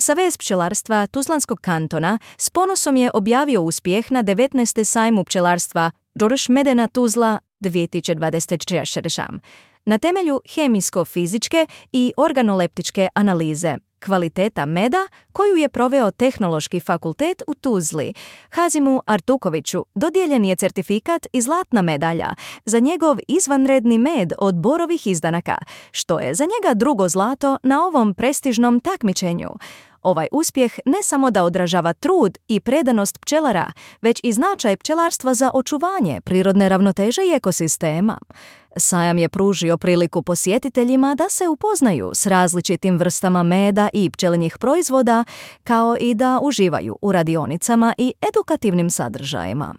Savez pčelarstva Tuzlanskog kantona s ponosom je objavio uspjeh na 19. sajmu pčelarstva Đoroš Medena Tuzla 2024. Na temelju hemijsko-fizičke i organoleptičke analize kvaliteta meda koju je proveo Tehnološki fakultet u Tuzli, Hazimu Artukoviću dodijeljen je certifikat i zlatna medalja za njegov izvanredni med od borovih izdanaka, što je za njega drugo zlato na ovom prestižnom takmičenju. Ovaj uspjeh ne samo da odražava trud i predanost pčelara, već i značaj pčelarstva za očuvanje prirodne ravnoteže i ekosistema. Sajam je pružio priliku posjetiteljima da se upoznaju s različitim vrstama meda i pčelinjih proizvoda, kao i da uživaju u radionicama i edukativnim sadržajima.